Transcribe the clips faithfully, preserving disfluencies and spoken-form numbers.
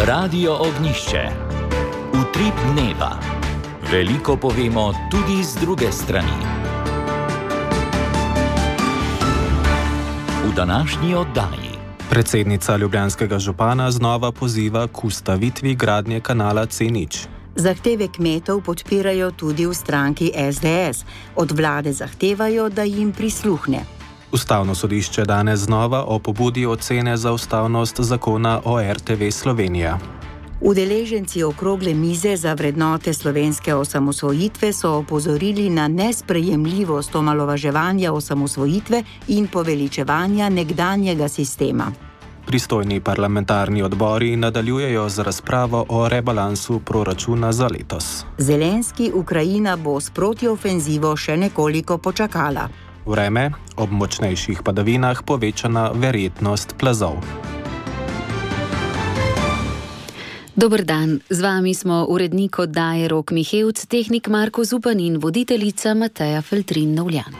Radio Ognišče. Utrip dneva. Veliko povemo tudi z druge strani. V današnji oddaji. Predsednica ljubljanskega župana znova poziva k ustavitvi gradnje kanala C nič. Zahteve kmetov podpirajo tudi v stranki S D S. Od vlade zahtevajo, da jim prisluhne. Ustavno sodišče danes znova o pobudi ocene za ustavnost zakona o R T V Slovenija. Udeleženci okrogle mize za vrednote slovenske osamosvojitve so opozorili na nesprejemljivost omalovaževanja osamosvojitve in poveličevanja nekdanjega sistema. Pristojni parlamentarni odbori nadaljujejo z razpravo o rebalansu proračuna za letos. Zelenski Ukrajina bo s protiofenzivo še nekoliko počakala. Vreme, ob močnejših padavinah povečana verjetnost plazov. Dober dan, z vami smo urednik oddaje Rok Mihevc, tehnik Marko Zupan in voditeljica Mateja Feltrin-Novljan.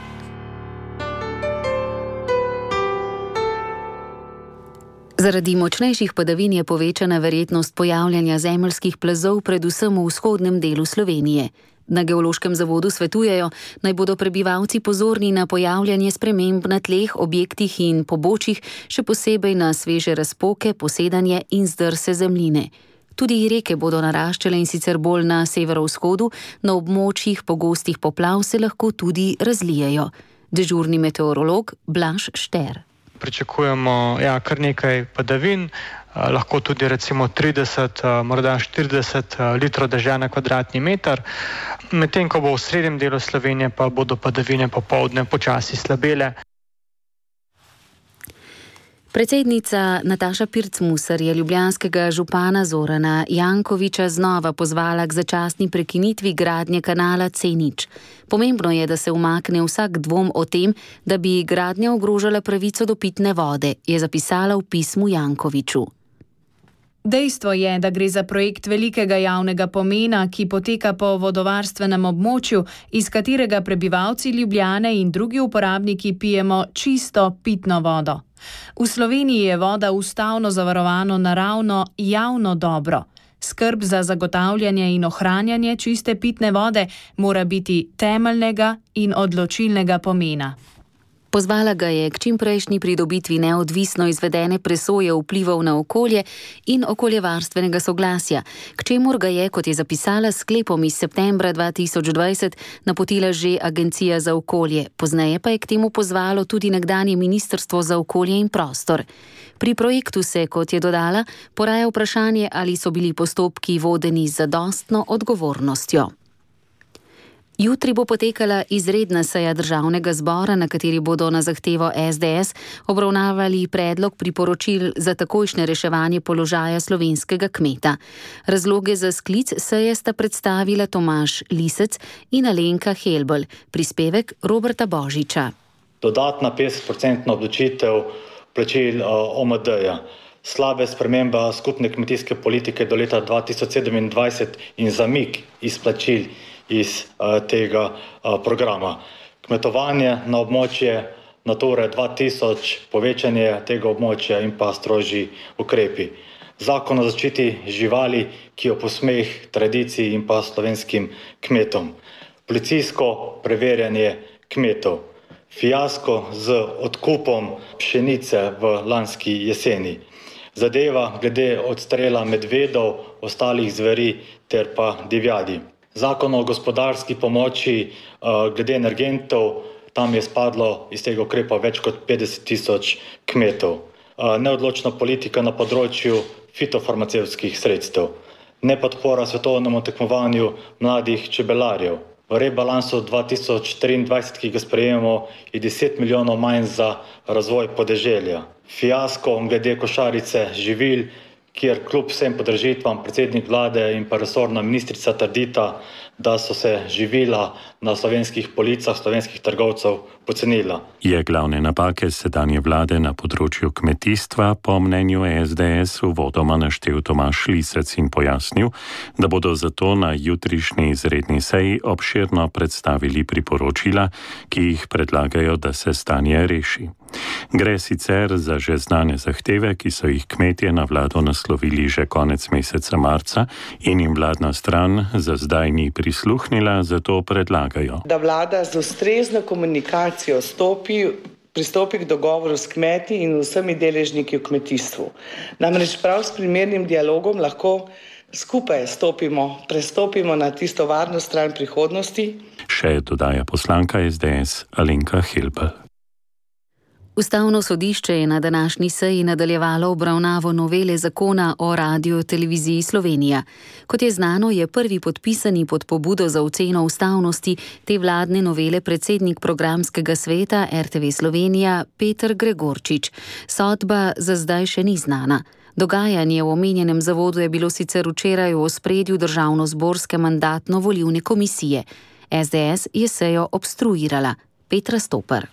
Zaradi močnejših padavin je povečana verjetnost pojavljanja zemeljskih plazov predvsem v vzhodnem delu Slovenije. Na Geološkem zavodu svetujejo, naj bodo prebivalci pozorni na pojavljanje sprememb na tleh, objektih in pobočjih, še posebej na sveže razpoke, posedanje in zdrse zemljine. Tudi reke bodo naraščale in sicer bolj na severovzhodu, na območjih pogostih poplav se lahko tudi razlijejo. Dežurni meteorolog Blaž Šter. Pričakujemo ja, kar nekaj padavin, eh, lahko tudi recimo trideset, eh, morda štirideset eh, litrov dežja na kvadratni meter. Medtem ko bo v srednjem delu Slovenije, pa bodo padavine popoldne počasi slabele. Predsednica Nataša Pirc-Musar je ljubljanskega župana Zorana Jankovića znova pozvala k začasni prekinitvi gradnje kanala C nič. Pomembno je, da se umakne vsak dvom o tem, da bi gradnja ogrožala pravico do pitne vode, je zapisala v pismu Jankoviću. Dejstvo je, da gre za projekt velikega javnega pomena, ki poteka po vodovarstvenem območju, iz katerega prebivalci Ljubljane in drugi uporabniki pijemo čisto pitno vodo. V Sloveniji je voda ustavno zavarovano naravno javno dobro. Skrb za zagotavljanje in ohranjanje čiste pitne vode mora biti temeljnega in odločilnega pomena. Pozvala ga je k čimprejšnji pridobitvi neodvisno izvedene presoje vplivov na okolje in okoljevarstvenega soglasja, k čemur ga je, kot je zapisala s sklepom iz septembra dva tisoč dvajset, napotila že Agencija za okolje, pozneje pa je k temu pozvalo tudi nekdanje Ministrstvo za okolje in prostor. Pri projektu se, kot je dodala, poraja vprašanje, ali so bili postopki vodeni z zadostno odgovornostjo. Jutri bo potekala izredna seja državnega zbora, na kateri bodo na zahtevo S D S obravnavali predlog priporočil za takojšnje reševanje položaja slovenskega kmeta. Razloge za sklic seje sta predstavila Tomaž Lisec in Alenka Helbl, prispevek Roberta Božiča. Dodatna petdesetprocentna obdavčitev plačil O M D-ja, slabe spremembe skupne kmetijske politike do leta dva tisoč sedemindvajset in zamik izplačil iz uh, tega uh, programa. Kmetovanje na območje Nature dva tisoč, povečanje tega območja in pa strožji ukrepi. Zakon o zaščiti živali, ki je posmeh tradiciji in pa slovenskim kmetom. Policijsko preverjanje kmetov. Fiasko z odkupom pšenice v lanski jeseni. Zadeva glede odstrela medvedov, ostalih zveri ter pa divjadi. Zakon o gospodarski pomoči uh, glede energentov, tam je spadlo iz tega ukrepa več kot petdeset tisoč kmetov. Uh, neodločna politika na področju fitofarmacevtskih sredstev. Nepodpora svetovnemu tekmovanju mladih čebelarjev. V rebalansu dva tisoč triindvajset, ki ga sprejemamo, je deset milijonov manj za razvoj podeželja. Fiasko glede košarice živil, kjer kljub vsem podražitvam predsednik vlade in pa resorna ministrica trdita, da so se živila na slovenskih policah slovenskih trgovcev pocenila. Je glavne napake sedanje vlade na področju kmetijstva po mnenju S D S uvodoma naštel Tomaž Lisec in pojasnil, da bodo zato na jutrišnji izredni seji obširno predstavili priporočila, ki jih predlagajo, da se stanje reši. Gre sicer za že znane zahteve, ki so jih kmetje na vlado naslovili že konec meseca marca in jim vladna stran za zdaj ni prisluhnila, zato predlagajo, da vlada z ustrezno komunikacijo stopi, pristopi k dogovoru s kmeti in vsemi deležniki v kmetijstvu. Namreč prav s primernim dialogom lahko skupaj stopimo, prestopimo na tisto varno stran prihodnosti. Še dodaja poslanka S D S Alenka Helbl. Ustavno sodišče je na današnji seji nadaljevalo obravnavo novele zakona o Radioteleviziji Slovenija. Kot je znano, je prvi podpisani pod pobudo za oceno ustavnosti te vladne novele predsednik programskega sveta R T V Slovenija Peter Gregorčič. Sodba za zdaj še ni znana. Dogajanje v omenjenem zavodu je bilo sicer včeraj v ospredju državnozborske mandatno-volilne komisije. S D S je sejo obstruirala. Petra Stopar.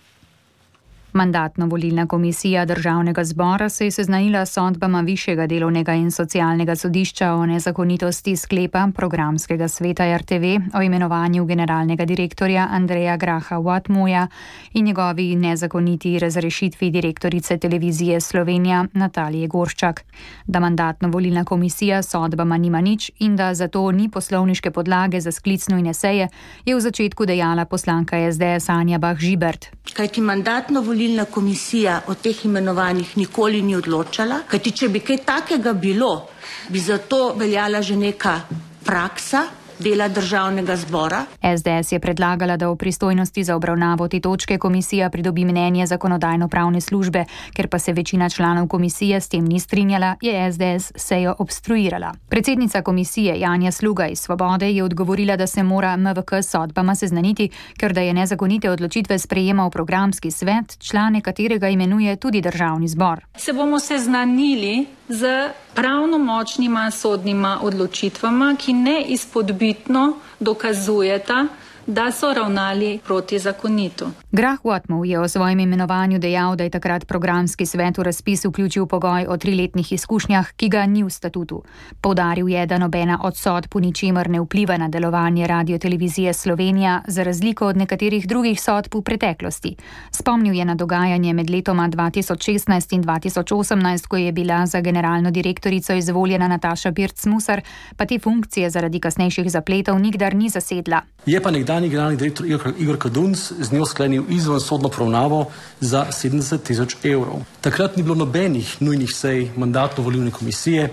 Mandatno-volilna komisija Državnega zbora se je seznanila s sodbama Višjega delovnega in socialnega sodišča o nezakonitosti sklepa programskega sveta R T V o imenovanju generalnega direktorja Andreja Graha Whatmoja in njegovi nezakoniti razrešitvi direktorice Televizije Slovenija Natalije Gorščak. Da mandatno-volilna komisija s sodbama nima nič in da zato ni poslovniške podlage za sklic nujne seje, je v začetku dejala poslanka S D S Anja Bah Žibert. Kajti mandatno-volilna komisija o teh imenovanjih nikoli ni odločala, kajti če bi kaj takega bilo, bi zato veljala že neka praksa dela Državnega zbora. S D S je predlagala, da v pristojnosti za obravnavo te točke komisija pridobi mnenje zakonodajno-pravne službe, ker pa se večina članov komisije s tem ni strinjala, je S D S sejo obstruirala. Predsednica komisije Janja Sluga iz Svobode je odgovorila, da se mora M V K s sodbama seznaniti, ker da je nezakonite odločitve sprejemal programski svet, člane katerega imenuje tudi Državni zbor. Se bomo seznanili z pravnomočnima sodnima odločitvama, ki ne izpodbitno dokazujeta, da so ravnali protizakonito. Grah Whatmov je o svojem imenovanju dejal, da je takrat programski svet v razpis vključil pogoj o triletnih izkušnjah, ki ga ni v statutu. Poudaril je, da nobena od sodb v ničemer ne vpliva na delovanje Radiotelevizije Slovenija, za razliko od nekaterih drugih sodb v preteklosti. Spomnil je na dogajanje med letoma dva tisoč šestnajst in dva tisoč osemnajst, ko je bila za generalno direktorico izvoljena Nataša Pirc-Musar, pa te funkcije zaradi kasnejših zapletov nikdar ni zasedla. Je pa nekdanji generalni direktor Igor Kadunc z njo sklenil izvensodno poravnavo za sedemdeset tisoč evrov. Takrat ni bilo nobenih nujnih sej mandatno-volilne komisije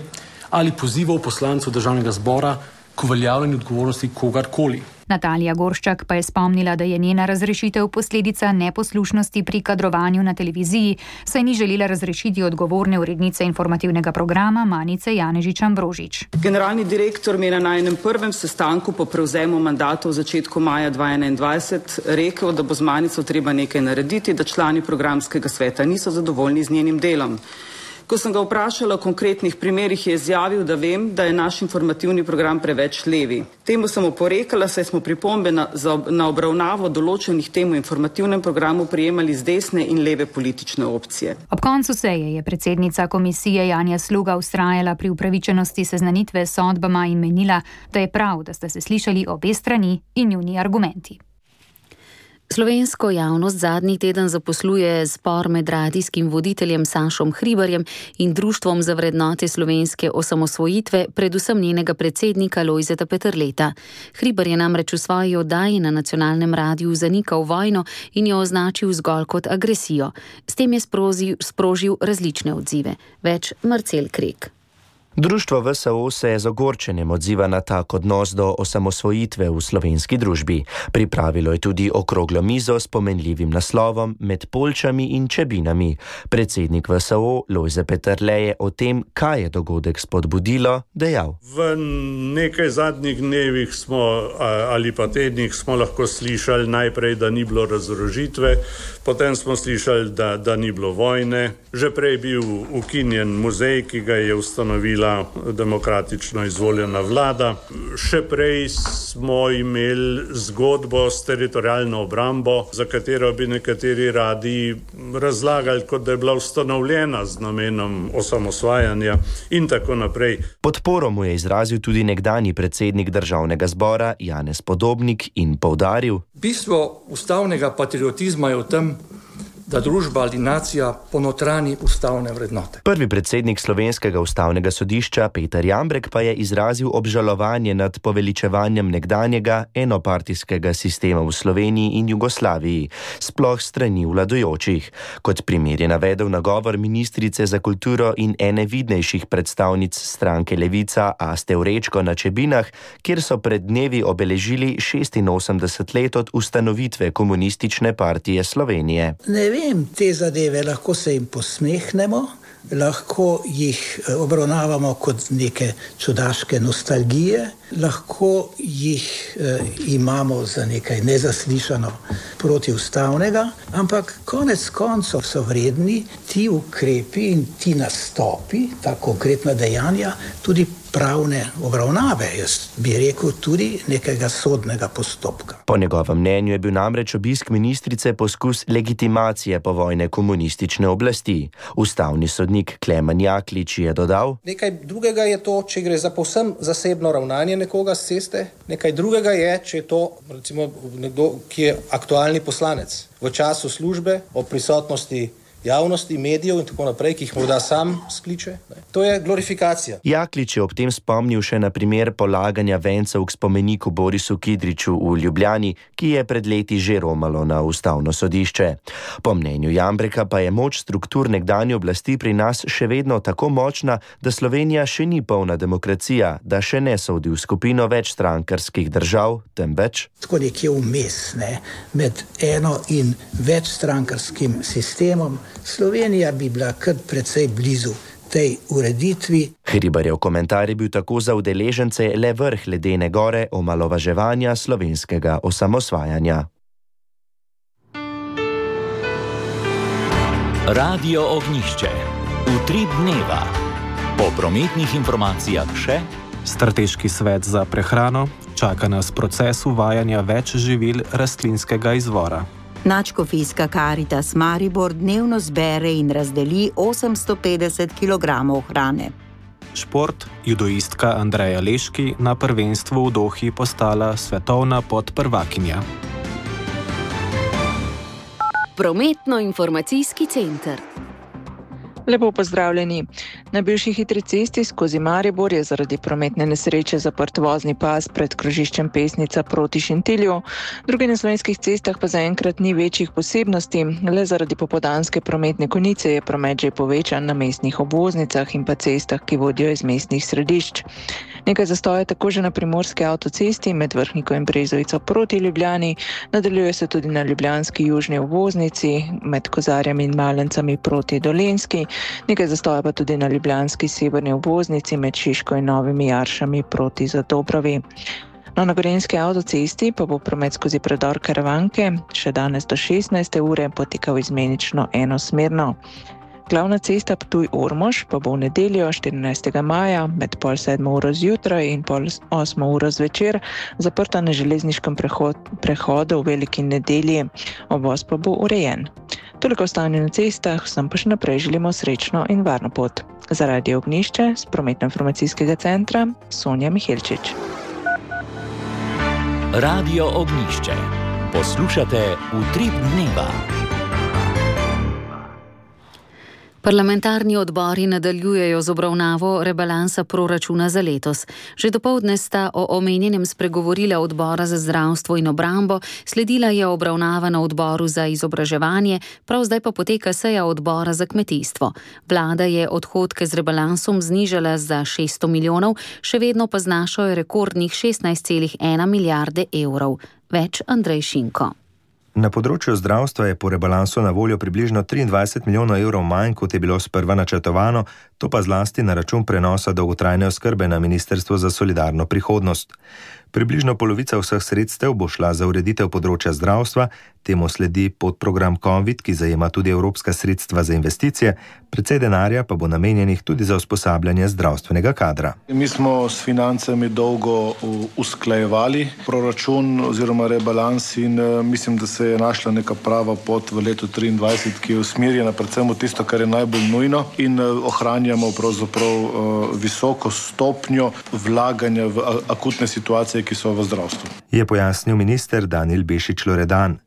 ali pozivov poslancev Državnega zbora k uveljavljanju odgovornosti kogarkoli. Natalija Gorščak pa je spomnila, da je njena razrešitev posledica neposlušnosti pri kadrovanju na televiziji, saj ni želela razrešiti odgovorne urednice informativnega programa Manice Janežič-Ambrožič. Generalni direktor mi je na najnem prvem sestanku po prevzemu mandata v začetku maja dva tisoč enaindvajset rekel, da bo z Manico treba nekaj narediti, da člani programskega sveta niso zadovoljni z njenim delom. Ko sem ga vprašala o konkretnih primerih, je izjavil, da vem, da je naš informativni program preveč levi. Temu sem oporekala, saj smo pripombe na, za, na obravnavo določenih tem v informativnem programu prijemali z desne in leve politične opcije. Ob koncu seje je predsednica komisije Janja Sluga vztrajala pri upravičenosti seznanitve s sodbama in menila, da je prav, da sta se slišali obe strani in njuni argumenti. Slovensko javnost zadnji teden zaposluje spor med radijskim voditeljem Sašom Hribarjem in Društvom za vrednote slovenske osamosvojitve, predvsem njenega predsednika Lojzeta Peterleta. Hribar je namreč v svoji oddaji na nacionalnem radiju zanikal vojno in jo označil zgolj kot agresijo. S tem je sprožil, sprožil različne odzive. Več Marcel Krek. Društvo V S O se je z ogorčenjem odziva na tak odnos do osamosvojitve v slovenski družbi. Pripravilo je tudi okroglo mizo s pomenljivim naslovom Med Poljčami in Čebinami. Predsednik V S O Lojze Peterle je o tem, kaj je dogodek spodbudilo, dejal. V nekaj zadnjih dnevih smo, ali pa tednih smo lahko slišali najprej, da ni bilo razorožitve, potem smo slišali, da, da ni bilo vojne. Že prej bil ukinjen muzej, ki ga je ustanovila bila demokratično izvoljena vlada. Še prej smo imeli zgodbo s teritorialno obrambo, za katero bi nekateri radi razlagali, kot da je bila ustanovljena z namenom osamosvajanja in tako naprej. Podporo mu je izrazil tudi nekdanji predsednik državnega zbora Janez Podobnik in poudaril: Bistvo ustavnega patriotizma je v tem, da družba ali nacija ponotrani ustavne vrednote. Prvi predsednik Slovenskega ustavnega sodišča Peter Jambrek pa je izrazil obžalovanje nad poveličevanjem nekdanjega enopartijskega sistema v Sloveniji in Jugoslaviji, sploh strani vladajočih. Kot primer je navedel nagovor ministrice za kulturo in ene vidnejših predstavnic stranke Levica Aste Vrečko na Čebinah, kjer so pred dnevi obeležili šestinosemdeset let od ustanovitve Komunistične partije Slovenije. Ne vem, te zadeve, lahko se jim posmehnemo, lahko jih obravnavamo kot neke čudaške nostalgije, lahko jih eh, imamo za nekaj nezaslišano protiustavnega, ampak konec koncev so vredni ti ukrepi in ti nastopi, ta konkretna dejanja, tudi pravne obravnave, jaz bi rekel tudi nekega sodnega postopka. Po njegovem mnenju je bil namreč obisk ministrice poskus legitimacije povojne komunistične oblasti. Ustavni sodnik Klemen Jaklič je dodal: Nekaj drugega je to, če gre za povsem zasebno ravnanje nekoga s ceste, nekaj drugega je, če je to recimo nekdo, ki je aktualni poslanec v času službe, o prisotnosti javnosti, medijev in tako naprej, ki jih morda sam skliče. To je glorifikacija. Jaklič je ob tem spomnil še na primer polaganja vencev k spomeniku Borisu Kidriču v Ljubljani, ki je pred leti že romalo na ustavno sodišče. Po mnenju Jambreka pa je moč struktur nekdanje oblasti pri nas še vedno tako močna, da Slovenija še ni polna demokracija, da še ne sodi v skupino večstrankarskih držav, temveč tako nekje vmes, ne, med eno in večstrankarskim sistemom. Slovenija bi bila kar precej blizu tej ureditvi. Hribarjev komentar je bil tako za udeležence le vrh ledene gore omalovaževanja slovenskega osamosvajanja. Radio Ognjišče. Utrip dneva. Po prometnih informacijah še Strateški svet za prehrano. Čaka nas proces uvajanja več živil rastlinskega izvora. Nadškofijska Karitas Maribor dnevno zbere in razdeli osemsto petdeset kilogramov hrane. Šport. Judoistka Andreja Leški na prvenstvu v Dohi postala svetovna podprvakinja. Prometno-informacijski center. Lepo pozdravljeni. Na bivši hitri cesti skozi Maribor je zaradi prometne nesreče zaprt vozni pas pred krožiščem Pesnica proti Šentilju. Druge na slovenskih cestah pa zaenkrat ni večjih posebnosti, le zaradi popoldanske prometne konice je promet že povečan na mestnih obvoznicah in pa cestah, ki vodijo iz mestnih središč. Nekaj zastoja tako že na primorski avtocesti med Vrhniko in Brezovico proti Ljubljani, nadaljuje se tudi na ljubljanski južni obvoznici med Kozarjami in Malencami proti Dolenjski, nekaj zastoja pa tudi na ljubljanski severni obvoznici med Šiško in Novimi Jaršami proti Zadobrovi. No, na gorenjski avtocesti pa bo promet skozi predor Karavanke še danes do šestnajste ure potekal izmenično enosmerno. Glavna cesta Ptuj-Ormož pa bo v nedeljo štirinajstega maja med pol sedmo uro zjutraj in pol osmo uro zvečer zaprta na železniškem prehod, prehodu v veliki nedelji. Obvoz pa bo urejen. Toliko o stanju na cestah, vsem pa še naprej želimo srečno in varno pot. Za Radio Ognjišče z prometno-informacijskega centra Sonja Mihelčič. Radio Ognjišče. Poslušate Utrip dneva. Parlamentarni odbori nadaljujejo z obravnavo rebalansa proračuna za letos. Že dopoldne sta o omenjenem spregovorila odbora za zdravstvo in obrambo, sledila je obravnava na odboru za izobraževanje, prav zdaj pa poteka seja odbora za kmetijstvo. Vlada je odhodke z rebalansom znižala za šeststo milijonov, še vedno pa znašajo rekordnih šestnajst celih ena milijarde evrov. Več Andrej Šinko. Na področju zdravstva je po rebalansu na voljo približno triindvajset milijonov evrov manj, kot je bilo sprva načrtovano, to pa zlasti na račun prenosa dolgotrajne oskrbe na Ministrstvo za solidarno prihodnost. Približno polovica vseh sredstev bo šla za ureditev področja zdravstva, Temu sledi podprogram COVID, ki zajema tudi evropska sredstva za investicije, precej denarja pa bo namenjenih tudi za usposabljanje zdravstvenega kadra. Mi smo s financami dolgo usklajevali proračun oziroma rebalans in mislim, da se je našla neka prava pot v letu triindvajset, ki je usmerjena predvsem v tisto, kar je najbolj nujno in ohranjamo pravzaprav visoko stopnjo vlaganja v akutne situacije, ki so v zdravstvu. Je pojasnil minister Danijel Bešič Loredan.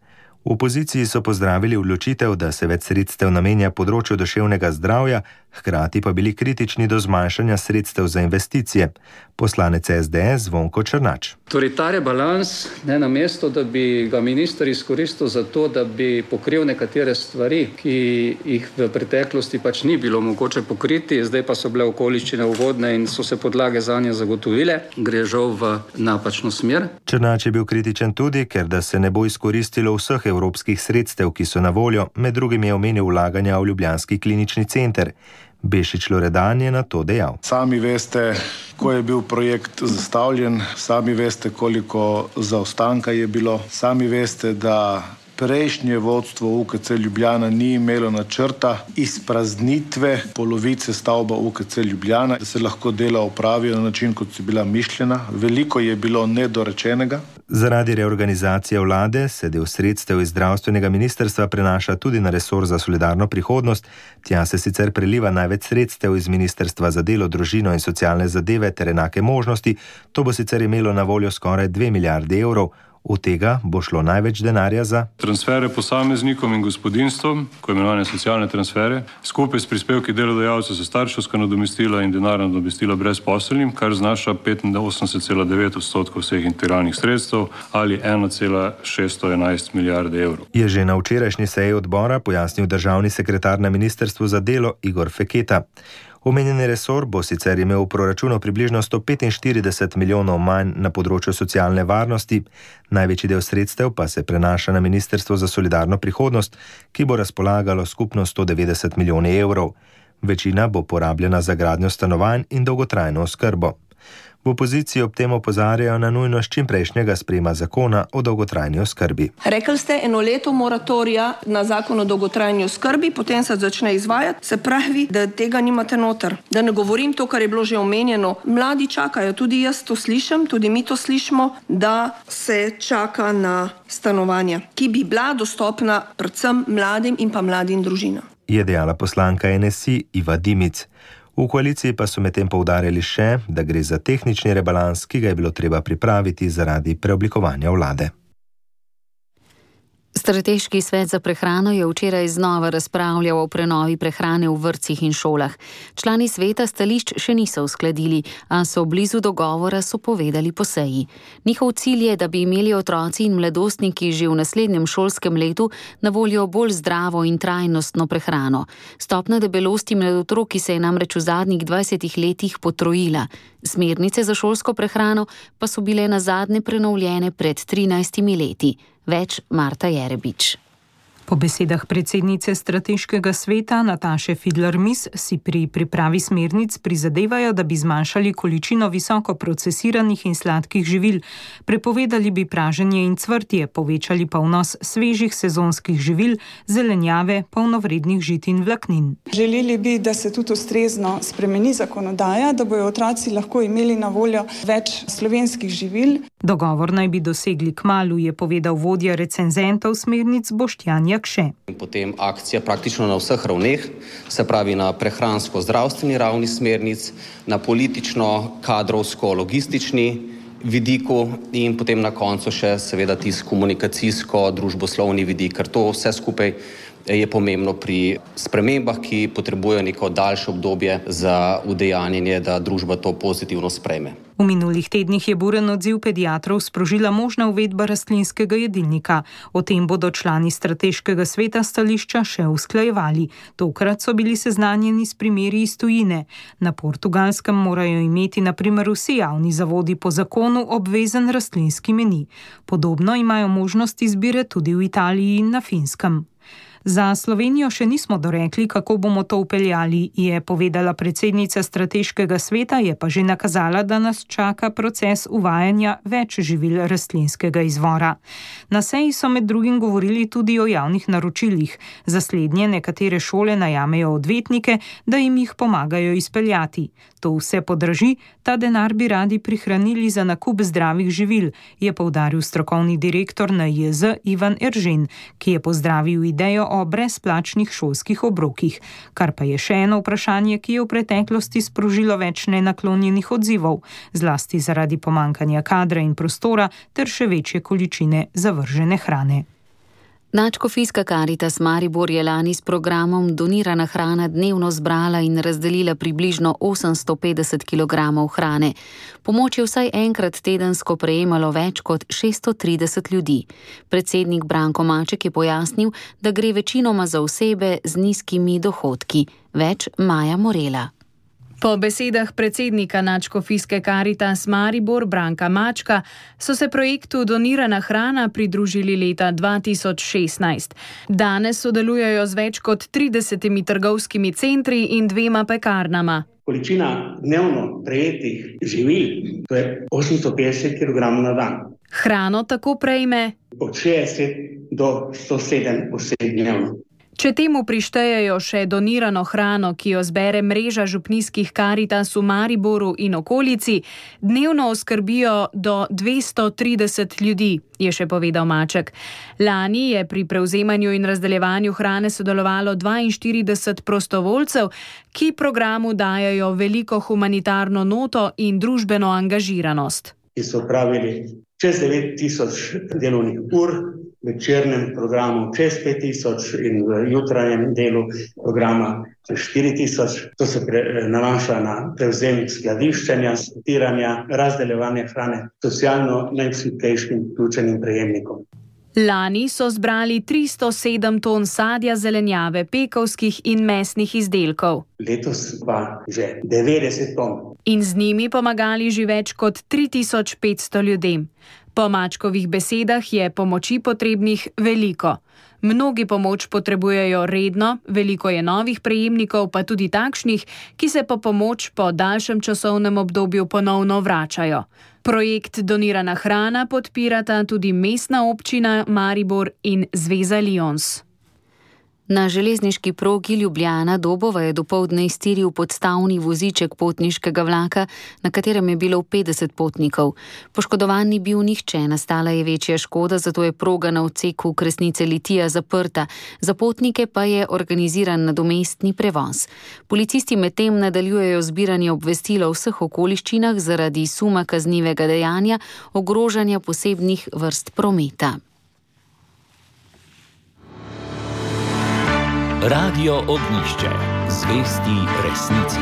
V opoziciji so pozdravili odločitev, da se več sredstev namenja področju duševnega zdravja, hkrati pa bili kritični do zmanjšanja sredstev za investicije. Poslanec S D S Zvonko Črnač. Torej ta rebalans, ne, namesto da bi ga minister izkoristil za to, da bi pokril nekatere stvari, ki jih v preteklosti pač ni bilo mogoče pokriti, zdaj pa so bile okoliščine ugodne in so se podlage zanje zagotovile, gre žal v napačno smer. Črnač je bil kritičen tudi, ker da se ne bo izkoristilo vseh evropskih sredstev, ki so na voljo, med drugim je omenil vlaganja v ljubljanski klinični center. Bešič Loredan je na to dejal. Sami veste, ko je bil projekt zastavljen, sami veste, koliko zaostanka je bilo, sami veste, da prejšnje vodstvo U K C Ljubljana ni imelo načrta izpraznitve polovice stavba U K C Ljubljana, da se lahko dela opravijo na način, kot so bila mišljena. Veliko je bilo nedorečenega. Zaradi reorganizacije vlade se del sredstev iz zdravstvenega ministrstva prenaša tudi na resor za solidarno prihodnost. Tja se sicer preliva največ sredstev iz ministrstva za delo, družino in socialne zadeve ter enake možnosti. To bo sicer imelo na voljo skoraj dve milijardi evrov. Od tega bo šlo največ denarja za transfere posameznikom in gospodinjstvom, ko imenovane socialne transfere, skupaj s prispevki delodajalcev za starševska nadomestila in denarna nadomestila brezposelnim, kar znaša petinosemdeset cela devet odstotkov vseh integralnih sredstev ali ena cela šeststo enajst milijarde evrov. Je že na včerajšnji seji odbora pojasnil državni sekretar na ministrstvu za delo Igor Feketa. Omenjeni resor bo sicer imel v proračunu približno sto petinštirideset milijonov manj na področju socialne varnosti, največji del sredstev pa se prenaša na Ministrstvo za solidarno prihodnost, ki bo razpolagalo skupno sto devetdeset milijonov evrov. Večina bo porabljena za gradnjo stanovanj in dolgotrajno oskrbo. V opoziciji ob tem opozarjajo na nujnost čimprejšnjega sprejema zakona o dolgotrajni oskrbi. Rekli ste eno leto moratorija na zakon o dolgotrajni oskrbi, potem se začne izvajati, se pravi, da tega nimate noter. Da ne govorim to, kar je bilo že omenjeno. Mladi čakajo, tudi jaz to slišim, tudi mi to slišimo, da se čaka na stanovanja, ki bi bila dostopna predvsem mladim in pa mladim družinam. Je dejala poslanka N S I Iva Dimic. V koaliciji pa so medtem poudarjali še, da gre za tehnični rebalans, ki ga je bilo treba pripraviti zaradi preoblikovanja vlade. Strateški svet za prehrano je včeraj znova razpravljal o prenovi prehrane v vrtcih in šolah. Člani sveta stališč še niso uskladili, a so blizu dogovora, so povedali po seji. Njihov cilj je, da bi imeli otroci in mladostniki že v naslednjem šolskem letu na voljo bolj zdravo in trajnostno prehrano. Stopnja debelosti med otroki se je namreč v zadnjih dvajsetih letih potrojila. Smernice za šolsko prehrano pa so bile nazadnje prenovljene pred trinajstimi leti. Več Marta Jerebič. Po besedah predsednice strateškega sveta Nataše Fidler-Mis si pri pripravi smernic prizadevajo, da bi zmanjšali količino visoko procesiranih in sladkih živil, prepovedali bi praženje in cvrtje, povečali pa vnos svežih sezonskih živil, zelenjave, polnovrednih žit in vlaknin. Želeli bi, da se tudi ustrezno spremeni zakonodaja, da bojo otroci lahko imeli na voljo več slovenskih živil. Dogovor naj bi dosegli kmalu, je povedal vodja recenzentov smernic Boštjan Jakše. Potem akcija praktično na vseh ravneh, se pravi na prehransko-zdravstveni ravni smernic, na politično-kadrovsko-logistični vidiku in potem na koncu še seveda tisti komunikacijsko-družboslovni vidik, ker to vse skupaj je pomembno pri spremembah, ki potrebujejo neko daljše obdobje za udejanjenje, da družba to pozitivno sprejme. V minulih tednih je buren odziv pediatrov sprožila možna uvedba rastlinskega jedilnika. O tem bodo člani strateškega sveta stališča še usklajevali. Tokrat so bili seznanjeni s primeri iz tujine. Na Portugalskem morajo imeti na primer vsi javni zavodi po zakonu obvezen rastlinski meni. Podobno imajo možnost izbire tudi v Italiji in na Finskem. Za Slovenijo še nismo dorekli, kako bomo to upeljali, je povedala predsednica strateškega sveta, je pa že nakazala, da nas čaka proces uvajanja več živil rastlinskega izvora. Na seji so med drugim govorili tudi o javnih naročilih. Za slednje nekatere šole najamejo odvetnike, da jim jih pomagajo izpeljati. To vse podraži, ta denar bi radi prihranili za nakup zdravih živil, je poudaril strokovni direktor N I J Z Ivan Eržen, ki je pozdravil idejo o brezplačnih šolskih obrokih, kar pa je še eno vprašanje, ki je v preteklosti sprožilo več nenaklonjenih odzivov, zlasti zaradi pomanjkanja kadra in prostora ter še večje količine zavržene hrane. Nadškofijska Karitas Maribor je lani s programom Donirana hrana dnevno zbrala in razdelila približno osemsto petdeset kilogramov hrane. Pomoč je vsaj enkrat tedensko prejemalo več kot šeststo trideset ljudi. Predsednik Branko Maček je pojasnil, da gre večinoma za osebe z nizkimi dohodki. Več Maja Morela. Po besedah predsednika Nadškofijske Karitas Maribor Branka Mačka so se projektu Donirana hrana pridružili leta dva tisoč šestnajst. Danes sodelujejo z več kot tridesetimi trgovskimi centri in dvema pekarnama. Količina dnevno prejetih živil, to je osemsto petdeset kilogramov na dan. Hrano tako prejme od šestdeset do sto sedem oseb dnevno. Če temu prištejejo še donirano hrano, ki jo zbere mreža župnijskih Karitas v Mariboru in okolici, dnevno oskrbijo do dvesto trideset ljudi, je še povedal Maček. Lani je pri prevzemanju in razdeljevanju hrane sodelovalo dvainštirideset prostovoljcev, ki programu dajajo veliko humanitarno noto in družbeno angažiranost. Ki so opravili čez devet tisoč delovnih ur, v večernem programu čez pet tisoč in v jutranjem delu programa čez štiri tisoč. To se pre, nanaša na prevzem skladiščenja, sortiranja, razdeljevanja hrane socialno najšibkejšim vključenim prejemnikom. Lani so zbrali tristo sedem ton sadja, zelenjave, pekovskih in mesnih izdelkov. Letos pa že devetdeset ton. In z njimi pomagali že več kot tri tisoč petsto ljudem. Po Mačkovih besedah je pomoči potrebnih veliko. Mnogi pomoč potrebujejo redno, veliko je novih prejemnikov, pa tudi takšnih, ki se po pomoč po daljšem časovnem obdobju ponovno vračajo. Projekt Donirana hrana podpirata tudi mestna občina Maribor in Zveza Lions. Na železniški progi Ljubljana-Dobova je dopoldne iztiril podstavni voziček potniškega vlaka, na katerem je bilo petdeset potnikov. Poškodovan ni bil nihče, nastala je večja škoda, zato je proga na odseku Kresnice-Litija zaprta. Za potnike pa je organiziran nadomestni prevoz. Policisti medtem nadaljujejo zbiranje obvestil o vseh okoliščinah zaradi suma kaznivega dejanja ogrožanja posebnih vrst prometa. Radio Ognjišče. Zvesti resnici.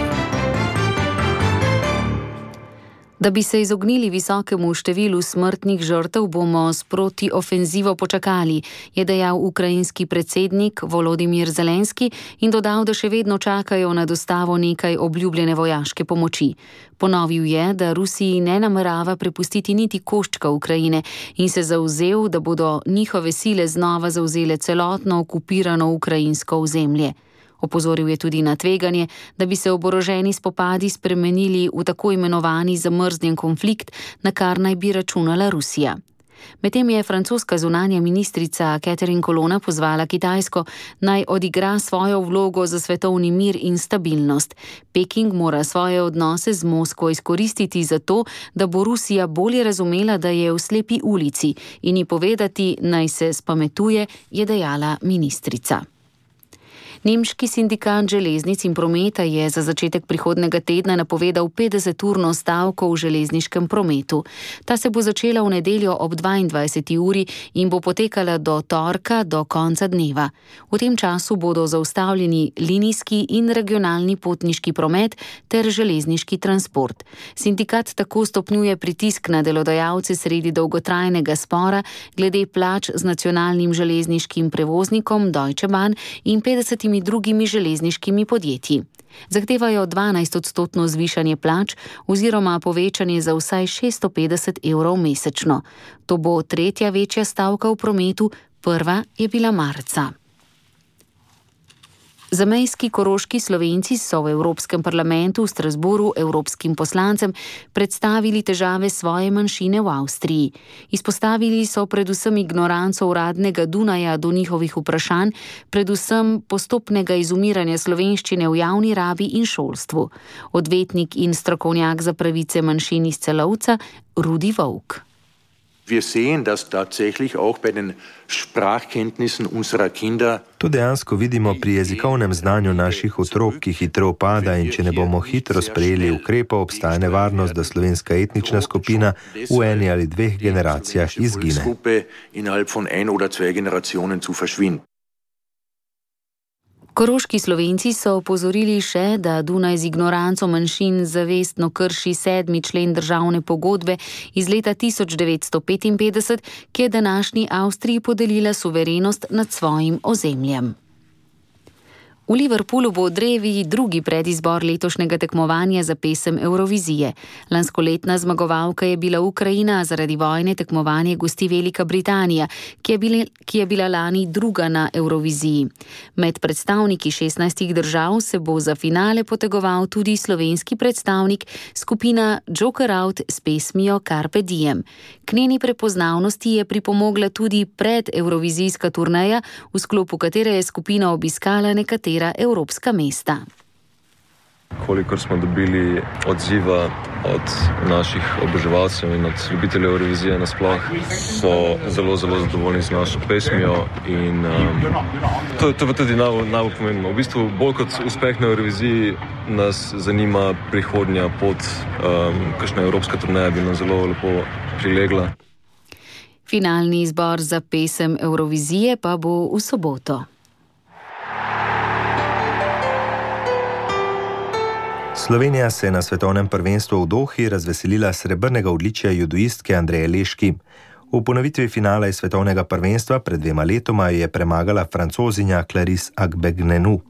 Da bi se izognili visokemu številu smrtnih žrtev, bomo s protiofenzivo počakali, je dejal ukrajinski predsednik Volodimir Zelenski in dodal, da še vedno čakajo na dostavo nekaj obljubljene vojaške pomoči. Ponovil je, da Rusiji ne namerava prepustiti niti koščka Ukrajine in se zavzel, da bodo njihove sile znova zavzele celotno okupirano ukrajinsko ozemlje. Opozoril je tudi na tveganje, da bi se oboroženi spopadi spremenili v tako imenovani zamrznjen konflikt, na kar naj bi računala Rusija. Medtem je francoska zunanja ministrica Catherine Colonna pozvala Kitajsko, naj odigra svojo vlogo za svetovni mir in stabilnost. Peking mora svoje odnose z Moskvo izkoristiti za to, da bo Rusija bolje razumela, da je v slepi ulici, in ji povedati, naj se spametuje, je dejala ministrica. Nemški sindikat železnic in prometa je za začetek prihodnega tedna napovedal petdeseturno stavko v železniškem prometu. Ta se bo začela v nedeljo ob dvaindvajseti uri in bo potekala do torka do konca dneva. V tem času bodo zaustavljeni linijski in regionalni potniški promet ter železniški transport. Sindikat tako stopnjuje pritisk na delodajalce sredi dolgotrajnega spora glede plač z nacionalnim železniškim prevoznikom Deutsche Bahn in petdesetimi drugimi železniškimi podjetji. Zahtevajo dvanajstodstotno zvišanje plač oziroma povečanje za vsaj šeststo petdeset evrov mesečno. To bo tretja večja stavka v prometu, prva je bila marca. Zamejski koroški Slovenci so v Evropskem parlamentu v Strasbourgu evropskim poslancem predstavili težave svoje manjšine v Avstriji. Izpostavili so predvsem ignoranco uradnega Dunaja do njihovih vprašanj, predvsem postopnega izumiranja slovenščine v javni rabi in šolstvu. Odvetnik in strokovnjak za pravice manjšin iz Celovca, Rudi Volk. Wir sehen, dass tatsächlich auch bei den Sprachkenntnissen unserer Kinder. To dejansko vidimo pri jezikovnem znanju naših otrok, ki hitro upada, in če ne bomo hitro sprejeli ukrepov, obstaja nevarnost, da slovenska etnična skupina v eni ali dveh generacijah izgine. Koroški Slovenci so opozorili še, da Dunaj z ignoranco manjšin zavestno krši sedmi člen državne pogodbe iz leta tisoč devetsto petinpetdeset, ki je današnji Avstriji podelila suverenost nad svojim ozemljem. V Liverpoolu bo drevi drugi predizbor letošnjega tekmovanja za pesem Eurovizije. Lanskoletna zmagovalka je bila Ukrajina, zaradi vojne tekmovanje gosti Velika Britanija, ki je, bile, ki je bila lani druga na Euroviziji. Med predstavniki šestnajstih držav se bo za finale potegoval tudi slovenski predstavnik, skupina Joker Out s pesmijo Carpe Diem. K njeni prepoznavnosti je pripomogla tudi predeurovizijska turneja, v sklopu katere je skupina obiskala nekatere evropska mesta. Kolikor smo dobili odziva od naših oboževalcev in od ljubiteljev Eurovizije nasploh, so zelo, zelo zadovoljni z našo pesmijo in um, to, to je tudi najbolj, najbolj pomembno. V bistvu bolj kot uspeh na Euroviziji nas zanima prihodnja pot, um, kakšna evropska turneja bi nam zelo lepo prilegla. Finalni izbor za pesem Eurovizije pa bo v soboto. Slovenija se je na svetovnem prvenstvu v Dohi razveselila srebrnega odličja judoistke Andreje Leški. V ponovitvi finala iz svetovnega prvenstva pred dvema letoma je premagala Francozinja Clarisse Agbegnenu.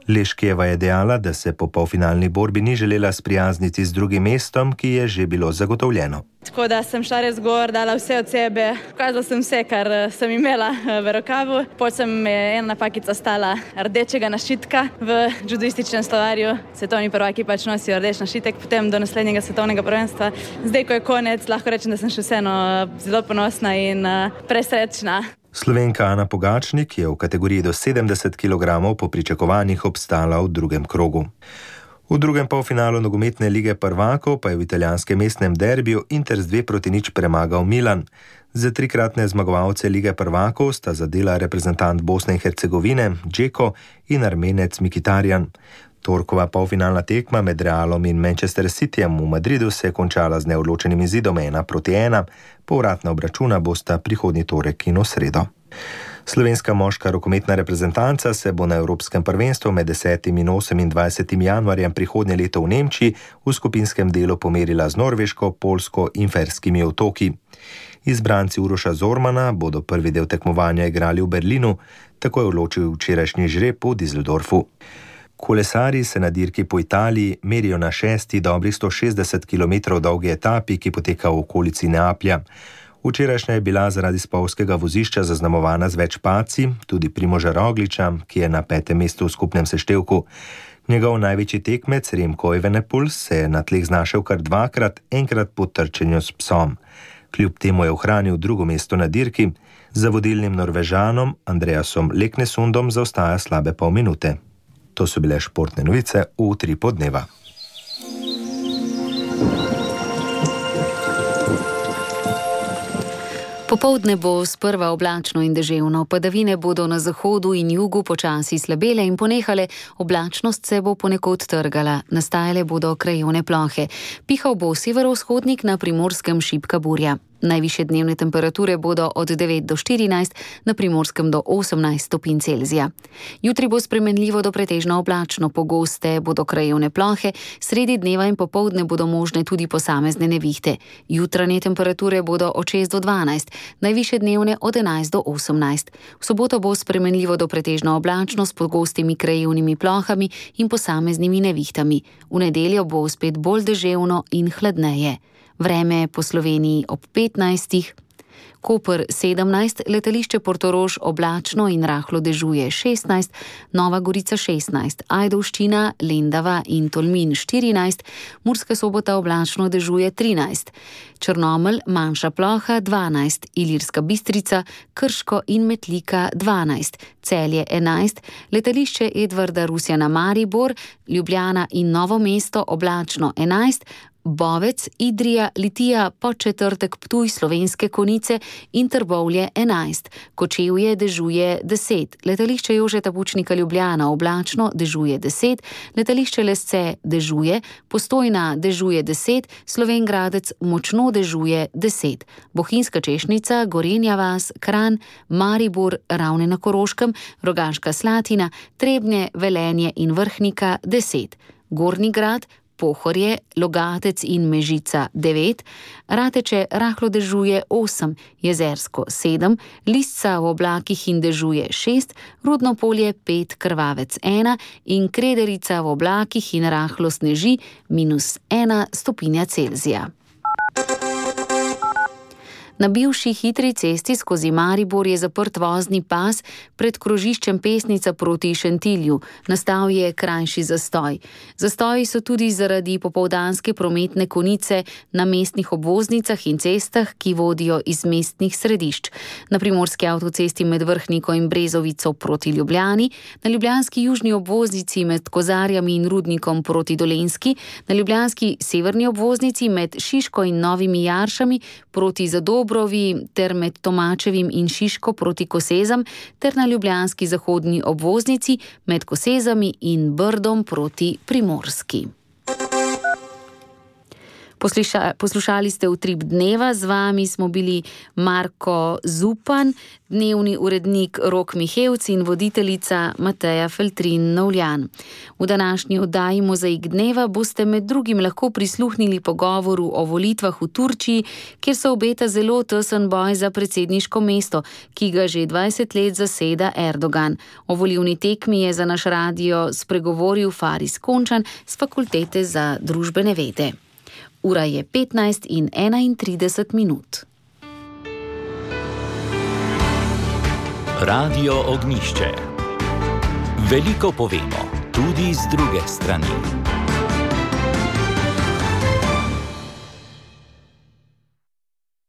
Leškijeva je dejala, da se po polfinalni borbi ni želela sprijazniti z drugim mestom, ki je že bilo zagotovljeno. Tako da sem šla res gor, dala vse od sebe, pokazala sem vse, kar sem imela v rokavu. Potem sem ena napakica stala rdečega našitka v judoističnem slovarju. Svetovni prvaki pač nosijo rdeč našitek, potem do naslednjega svetovnega prvenstva. Zdaj, ko je konec, lahko rečem, da sem še vseeno zelo ponosna in presrečna. Slovenka Ana Pogačnik je v kategoriji do sedemdeset kilogramov po pričakovanjih obstala v drugem krogu. V drugem polfinalu nogometne lige prvakov pa je v italijanskem mestnem derbiju Inter z dve proti nič premagal Milan. Za trikratne zmagovalce lige prvakov sta zadela reprezentant Bosne in Hercegovine Džeko in Armenec Mkhitaryan. Torkova polfinalna tekma med Realom in Manchester Cityjem v Madridu se je končala z neodločenim izidom ena proti ena. Povratna obračuna bosta prihodnji torek in v sredo. Slovenska moška rokometna reprezentanca se bo na Evropskem prvenstvu med desetim in osemindvajsetim januarjem prihodnje leto v Nemčiji v skupinskem delu pomerila z Norveško, Poljsko in Ferskimi otoki. Izbranci Uroša Zormana bodo prvi del tekmovanja igrali v Berlinu, tako je odločil včerajšnji žreb v Düsseldorfu. Kolesarji se na dirki po Italiji merijo na šesti dobrih sto šestdeset kilometrov dolgi etapi, ki poteka v okolici Neaplja. Včerajšnja je bila zaradi spolzkega vozišča zaznamovana z več padci, tudi Primoža Rogliča, ki je na petem mestu v skupnem seštevku. Njegov največji tekmec Remco Evenepoel se je na tleh znašel kar dvakrat, enkrat po trčenju s psom. Kljub temu je ohranil drugo mesto na dirki, za vodilnim Norvežanom Andreasom Leknesundom zaostaja slabe pol minute. To so bile športne novice v Utripu dneva. Popoldne bo sprva oblačno in deževno, padavine bodo na zahodu in jugu počasi slabele in ponehale, oblačnost se bo ponekod trgala, nastajale bodo krajevne plohe. Pihal bo severovzhodnik, na Primorskem šibka burja. Najvišje dnevne temperature bodo od devet do štirinajst, na Primorskem do osemnajst stopinj Celzija. Jutri bo spremenljivo do pretežno oblačno, pogoste bodo krajevne plohe, sredi dneva in popoldne bodo možne tudi posamezne nevihte. Jutranje temperature bodo od šest do dvanajst, najvišje dnevne od enajst do osemnajst. V soboto bo spremenljivo do pretežno oblačno s pogostimi krajevnimi plohami in posameznimi nevihtami. V nedeljo bo spet bolj deževno in hladneje. Vreme po Sloveniji ob petnajstih. Koper sedemnajst, letališče Portorož oblačno in rahlo dežuje šestnajst, Nova Gorica šestnajst, Ajdovščina, Lendava in Tolmin štirinajst, Murska Sobota oblačno dežuje trinajst, Črnomelj manjša ploha dvanajst, Ilirska Bistrica, Krško in Metlika dvanajst, Celje enajst, letališče Edvarda Rusjana Maribor, Ljubljana in Novo mesto oblačno enajst, Bovec, Idrija, Litija, Podčetrtek, Ptuj, Slovenske Konjice in Trbovlje enajst, Kočevje dežuje deset, letališče Jožeta Pučnika Ljubljana oblačno dežuje deset, letališče Lesce dežuje, Postojna dežuje deset, Slovenj Gradec močno dežuje deset, Bohinjska Češnica, Gorenja vas, Kranj, Maribor, Ravne na Koroškem, Rogaška Slatina, Trebnje, Velenje in Vrhnika deset, Gornji Grad, Pohorje, Logatec in Mežica devet, Rateče rahlo dežuje osem, Jezersko sedem, Lisca v oblakih in dežuje šest, Rudno Polje pet, Krvavec ena in Krederica v oblakih in rahlo sneži minus ena stopinja Celzija. Na bivši hitri cesti skozi Maribor je zaprt vozni pas pred krožiščem Pesnica proti Šentilju. Nastal je krajši zastoj. Zastoji so tudi zaradi popoldanske prometne konice na mestnih obvoznicah in cestah, ki vodijo iz mestnih središč. Na primorski avtocesti med Vrhniko in Brezovico proti Ljubljani, na ljubljanski južni obvoznici med Kozarjami in Rudnikom proti Dolenjski, na ljubljanski severni obvoznici med Šiško in Novimi Jaršami proti Zadobrovi ter med Tomačevim in Šiško proti Kosezam ter na ljubljanski zahodni obvoznici med Kosezami in Brdom proti Primorski. Posluša, poslušali ste Utrip dneva, z vami smo bili Marko Zupan, dnevni urednik Rok Mihevc in voditeljica Mateja Feltrin-Novljan. V današnji oddaji Mozaik dneva boste med drugim lahko prisluhnili pogovoru o volitvah v Turčiji, kjer se obeta zelo tesen boj za predsedniško mesto, ki ga že dvajset let zaseda Erdogan. O volilni tekmi je za naš radio spregovoril Faris Končan z Fakultete za družbene vede. Ura je petnajst in enaintrideset minut. Radio Ognjišče. Veliko povemo, tudi z druge strani.